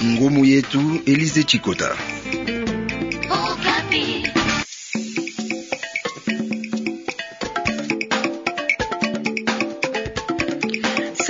Ngumu yetu Elize Chikota.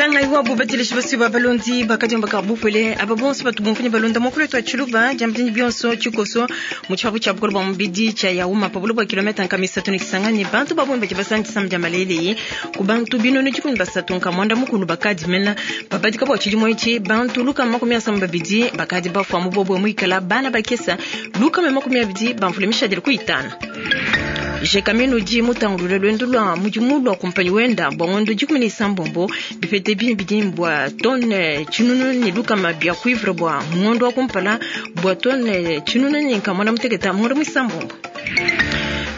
Sangai wabo bateleshi basi ba balondi bakadiomba ka bupwele aba bonso batu bumfunyi balonda mokolo wetu wa tshiluba diambidini bionso tshikoso mu tshipapu tshia bukole bua mubidi tshia Yauma pa buloba bua kilometa nkama isatu ne Kisangani. Bantu ba bungi badi basanga disama dia malele ku bantu binunu dikumi basatu nka muanda mukulu bakadi mena babadika bua tshidimu etshi. Bantu lukama makumi asamba babidi bakadi bafua mu bobwe muikala bana bakesa lukama makumi abidi bamvule mishadile ku itanu. Gécamines udi mutangulule luendu lua mudimu lua kumpanyi wenda bua ngondo dikumi ne isambombo bipete bine bidi bua tonne tshinunu ne lukama bia cuivre bua ngondo wa kumpala bua tonne tshinunu ne nkama muteketa ngondo muisambombo.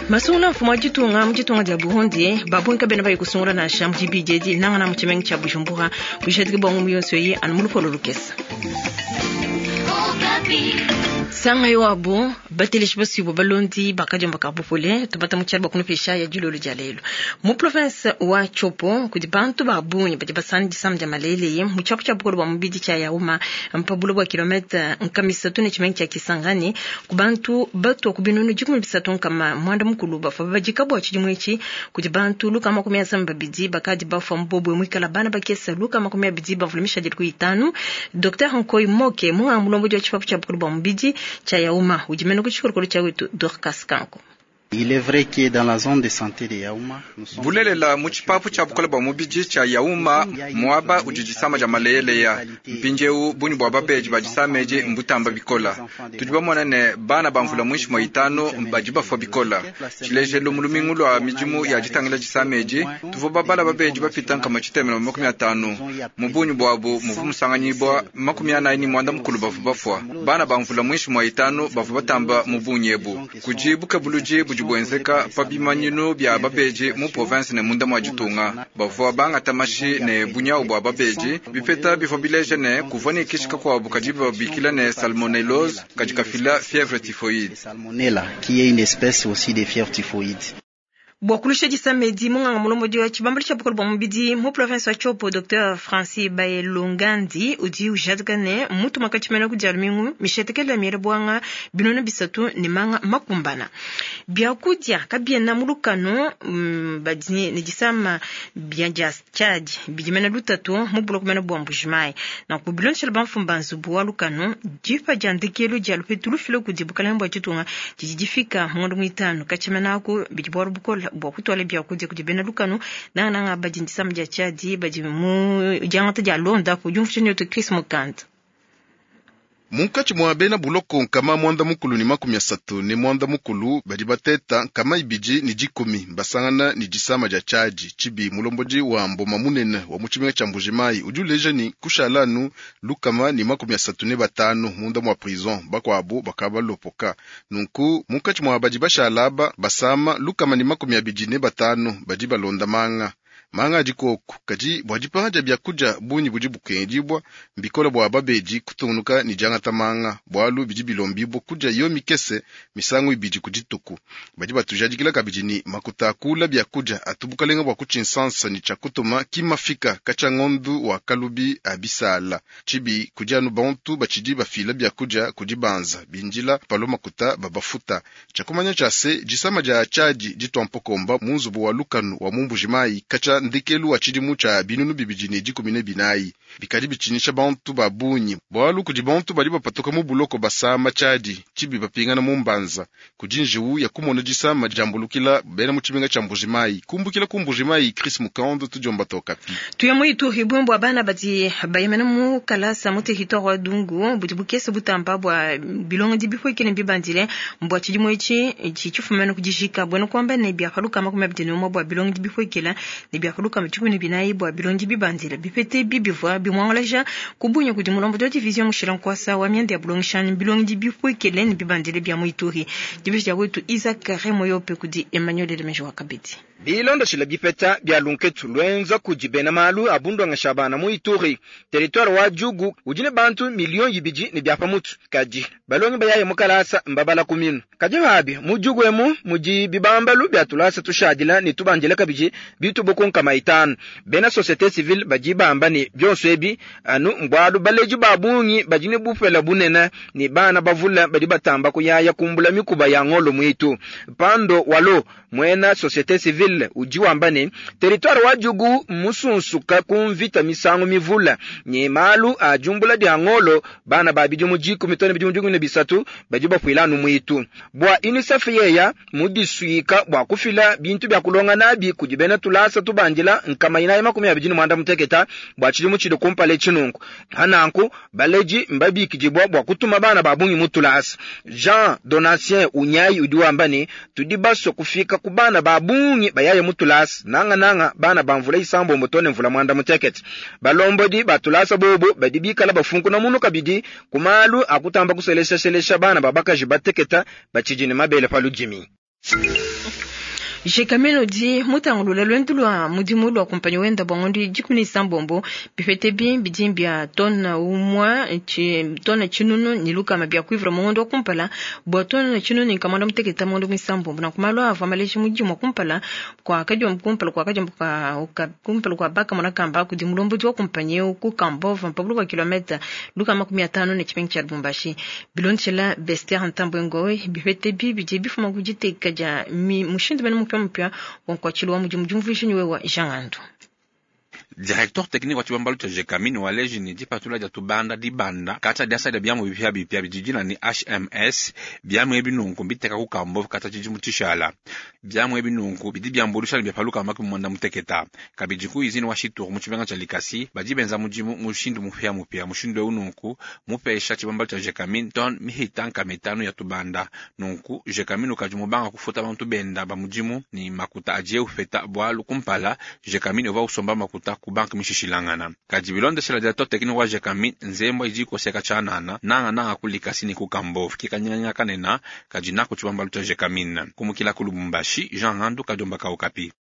Masungula mfumu wa ditunga mu ditunga dia Burundi babungi kabena bayi kusungula nansha mu dibidi edi nangana mu tshimenga tshia Bujumbura bujadiki bua ngumu yonso eyi anu mu lupolo lukesa. Sanga wabo bateleshi basuibua balondi bakadiomba ka bupole tubata mu tshiala bua kunupesha ya dilolo dia lelu mu province wa Tshopo kudi bantu ba bungi badi basana disama dia malele mu tshiapu tshia bukole bua mubidi tshia Yauma mpa buloba bua kilomètre nkama isatu ne tshimenga tshia Kisangani ku bantu batua ku binunu dikumi bisatu nkama muanda mukulu bafua babadika bua tshidimu etshi kudi bantu lukama makumi asamba babidi bakadi bafua mu bobwe muikala bana bakesa lukama makumi abidi bavule mishadile ku itanu. Dr Nkoy Moke munganga mulombodi wa tshipapu tshia bukole bua mubidi tshia Yauma udi mena ku tshikolokolo tshia wetu Dorcas Kanko. Il est vrai que dans la zone de santé de Yauma, nous sommes bulelela mu tshipapu tshia bukole bua mubidi tshia Yauma muaba udi disama dia maleleya mpindieu bungi bua babedi ba disama edi mbutamba bikola. Tudi bamona ne bana ba mvula muinshi mua itanu badi bafua bikola. Tshilejelu mu lumingu lua midimu ya ditangila disama edi tuvua babala babedi bapita nkama tshitema na makumi atanu mu bungi buabu muvu musanganyibua makumi anayi ne muanda mukulu bavua bafua. Bana ba mvula muinshi mua itanu bavua batamba mu bungi ebu kudi bukebuludi budi buenzeka pa bimanyinu bia babedi mu province ne munda mua ditunga. Bavua bangata mashi ne bunyawu bua babedi bipeta bivua bileja ne kuvua ne kishi kakuabu kadi babikila ne salmonellose kadi kafila fièvre typhoïde. Salmonella qui est une espèce aussi de fièvre typhoïde. Bua kulusha disama edi munganga mulombodi wa tshibambalu tshia bukole bua mubidi mu province wa Tshopo Dr Francis Bayelongandi udi ujadika ne mutuma katshimena ku dia lumingu mishetekela miele buanga binunu bisatu ne manga makumbana. Biakudia kabiena mu lukanu badi ne disama bia dia tshiadi bidimena lutatu mu buloko mena bua Mbujimayi. Nanku bilondeshela bamfumu ba nzubu wa lukanu dipa dia ndekelu dia lupetu lufile kudi bukalenge bua ditunga didi difika ngondo muitanu katshimena aku bidi bualu bukola bua kutuala biakudia kudi bena lukanu nangananga badi disama dia tshiadi badi mu diangata dia londa ku diumvuija netu Chris Mukanda. Munkatshi mua bena buloko nkama muanda mukulu ne makumi asatu ne muanda mukulu badi bateta nkama ibidi ne dikumi basangana ne disama dia tshiadi. Tshibi mulombodi wa mboma munene wa mu tshimenga tshia Mbujimayi udi uleja ne kushala anu lukama ne makumi asatu ne batanu munda mua prison bakuabu bakabalopoka. Nunku munkatshi mua badi bashala aba basama lukama ne makumi abidi ne batanu badi balonda manga. Manga adi koku kadi bua dipanga dia biakudia bungi budi bukengedibua mbikola bua babedi kutungunuka ne diangata manga bualu bidi bilombibua kudia yo mikese misangu ibidi ku dituku. Badi batujadikila kabidi ni makuta akula biakudia atu bukalenga bua kutshinsansa ne tshia kutuma kimafika katshia ngondu wa kalubi a bisala. Tshibi kudi anu bantu batshidi bafila biakudia kudi banza bindila palo makuta babafuta. Tshia kumanya tshia se disama dia tshiadi ditua mpokomba mu nzubu wa lukanu wa mu Mbujimayi katshia ndekelu wa tshidimu tshia binunu bibidi ne dikumi ne binayi. Bikadi bitshinyisha bantu ba bungi bualu kudi bantu badi bapatuka mu buloko basama tshiadi tshibi bapingana mu mbanza kudi njiwu ya kumona disama diambulukila bena mu tshimenga tshia Mbujimayi. Kumbukila ku Mbujimayi, Chris Mukando tudiomba tokapi. Tuya mu Ituri bwembo bua bana badi bayemena mu kalasa mu territoire wa Dungu budi bukese butamba bua bilongo di bipwekele bibandile mbua tshidimu etshi tshifumena kudijika bwena kuamba ne bia paluka makumi abidi ne umue bua bilongo di bipwekele ne bia paluka dikumi ne binayi bua bilongo bibandile bipete bibivua bimwangalaja kubunya kudi mulombodi wa division mushila nkwasa wa mianda ya bulongeshani bilongo di bipwekele ne bibandile bia mu Ituri. Dibeji dia wetu Isaac Remoyope kudi Emmanuel Elemejo wa Kabedi. Bilondeshile bipeta bia lunketu luenza kudi bena malu a bundongesha bana mu Ituri, territoire wa Djugu udi ne bantu miliyo ibidi ne bia pa mutu, kadi balongi bayaye mu kalasa mbabala ku minu. Kadi pabi mu Djugu emu mudi bibambalu bia tulasa tushadila ne tubandila kabidi bitubu ku 500. Bena societe civile badi bamba ne bionso ebi anu mbualu baledi ba bungi badi ne bupela bunene ne bana bavula badi batamba kuyaya kumbula mikuba ya ngolo muitu. Pando Walo muena societe civile udi wamba ne territoire wa Djugu musunsuka ku mvita misangu mivula ne malu a jumbula dia ngolo bana ba bidimu 10 tone bidimu 13 badi bafuila anu muitu. Bua UNICEF yeya mudisuika bua kufila bintu bya kulonga nabi kudi bena tulasa tubandila 426 bua tshidimu tshidi kumpala tshinunku. Hananku baleji mbabikidibwa bua kutuma bana ba bungi mu tulasa. Jean Donatien Unyayi udi wamba ne tudi basue kufika ku bana ba bungi bayaye mu tulasa nanga nanga bana ba mvula isambombo tone mvula mwanda mutekete. Balombodi ba tulasa bobo badi bikala bafunkuna munu kabidi ku malu akutamba kuselesha-selesha bana babakaji bateketa batshidi ne mabele pa ludimi. Gécamines udi mutangulula lwendu lwa mudimu lwa kumpanyi wenda bwa ngondo 16 bipete bidi bya tona umwa tona tshinunu ni lukama bya cuivre mu ngondo wa kumpala bwa tona tshinunu ni kamanda muteketa mu ngondo mwisambombo na kumalo ava maleji mudimu wa kumpala kwa kadiombo kumpala kwa kadiombo kwa kumpala kwa baka mwana kamba kudi mulombodi wa kumpanyi ku Kambova mpabulu kwa kilomita lukama 15 ne chipengi cha Lubumbashi bilonchela Bester Ntambwe Ngowe bipete bidi bifuma kujiteka ja mushindu bena mupya mpya wa nkwachilo wa mudimu jumvuisha niwe wa Jean Directeur technique wa chibambalu cha Gécamines waleji ni dipatula dia tubanda dibanda kata diasa dia biamu bipya bipya bijijina ni HMS biamu ebi nunku mbiteka ku Kambova kata tshidimu tshishala biamu ebi nunku bidi biambulusha ne biapaluka maki mwanda muteketa kabidi ku izini wa Shituru mu tshibenga tsha Likasi badi benza mudimu mushindu mupya mupya mushindu eu nunku mupesha tshibambalu tsha Gécamines ton mihita nkamitanu ya tubanda nunku Gécamines ukadi mubanga kufuta bantu benda ba mudimu ni makuta adie ufeta bwalu kumpala Gécamines uva usomba makuta ku banque mishishilangana kadi bilondeshela directeur technique wa Gécamines nzembo idi koseka tshanana nanga nanga ku Likasi ni ku Kambova kikanyanya kanena kadi nako tshibambalu tsha Gécamines kumukila ku Lubumbashi Jean Handu kadiomba ka Okapi.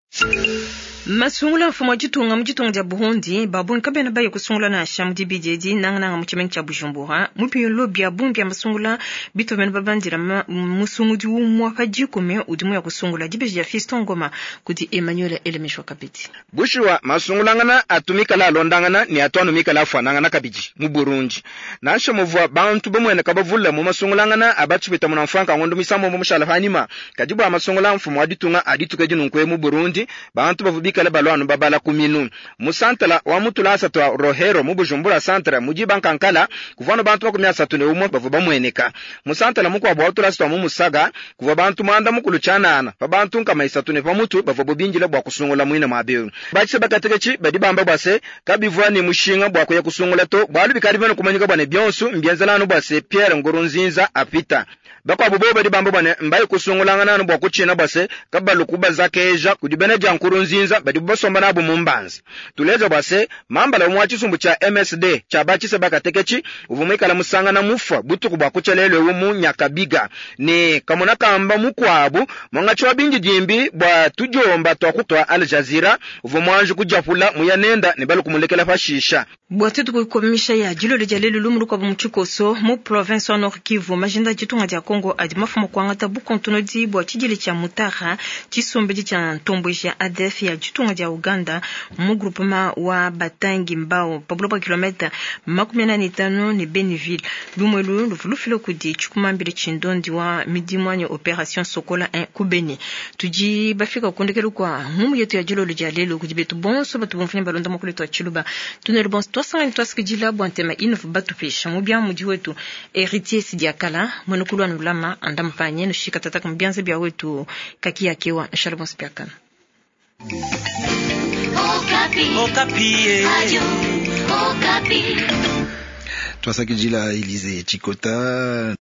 Masungula mfumo wa ditunga mu ditunga dia Burundi babungi kabena baye kusungula nansha mu dibidi edi nangananga mu tshimenga tshia Bujumbura mu biyolo bia bungi bia masungula bitu bena babandila musungudi umwa pa dikumi udi muya kusungula dibeji dia Fiston Ngoma kudi Emmanuel Elemeshwa kabidi. Bushuwa masungulangana atumikala alondangana ni atwanu mikala afuanangana kabidi mu Burundi nansha muvua bantu bamwene kabavula mu masungulangana abatshipita mu mfranka ngondo misambo mu mushala panima kadi bua masungula mfumo wa ditunga adituke dinunkwe mu Burundi bantu bavubikala balwanu babala kuminu musantala wa mutulasa twa Rohero mu Bujumbura santra muji bankankala kuvano bantu 31 bavu bamweneka musantala mukwabo wa tulasa twa mu Musaga kuva bantu mwanda mukulu chanana pa bantu nkama isatu ne pamutu bavu bobinjila bwa kusungula mwina mwabeyo bachise bakatekechi badi bamba bwase kabivwa ni mushinga bwa kuya kusungula to bwalu bikali bano kumanyika bwane byonsu mbyenzelano bwase Pierre Nkurunziza apita bakwabo bo badi bamba bwane mbayi kusungulangana no bwa kuchina bwase kabalu kubaza keja kudibene ja Nkurunziza badi basomba nabo mu mbanza tuleza bwase mambala umwa chisumbu cha MSD cha bachise bakatekechi uvumikala musanga na mufa butuku bwa kuchelelwe mu Nyakabiga ni kamona kamba mukwabu mwangachi wa bingi jimbi bwa tujomba twa kutwa Al Jazeera uvumwanju kujapula muyanenda ne balu kumulekela fashisha bwatu tukukomisha ya jilolo dia lelu lumu lukwabu mu tshikoso mu province wa Nord Kivu majinda ditunga dia Congo adi mafumu kuangata bukontonodi bwa tshidile tshia Mutara tshisombedi tshia ntombweji ya ADF ya ditunga dia Uganda mu groupement wa Batangi Mbao pa buloba kilomita 45 ne Beniville lumwelu luvulufile kudi tshikumambile tshindondi wa midimu anyi opération Sokola 1 ku Beni tudi bafika kundekelu kwa ngumu yetu ya jilolo dia lelu kudi betu bonso batu bomfunya balonda mokolo twa tshiluba tunelu bonso twasangani twasikidila bwa ntema inofu batupesha mu bia mudi wetu héritier sidiakala mwenukulu anu lama andampanye nushika tataka mu bianza bia wetu kaki yakewa nshala bonso biakana. Okapi. Okapi. Radio Okapi. Twasakidila Elise Chikota.